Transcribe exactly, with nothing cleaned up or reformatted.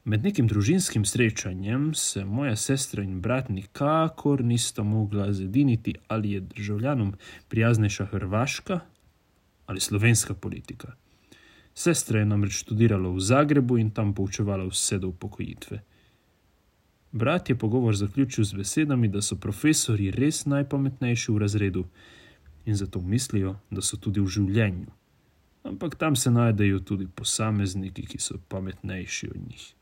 Med nekim družinskim srečanjem se moja sestra in brat nikakor nista mogla zediniti, ali je državljanom prijaznejša hrvaška ali slovenska politika. Sestra je namreč študirala v Zagrebu in tam poučevala vse do upokojitve. Brat je pogovor zaključil z besedami, da so profesorji res najpametnejši v razredu in zato mislijo, da so tudi v življenju. Ampak tam se najdejo tudi posamezniki, ki so pametnejši od njih.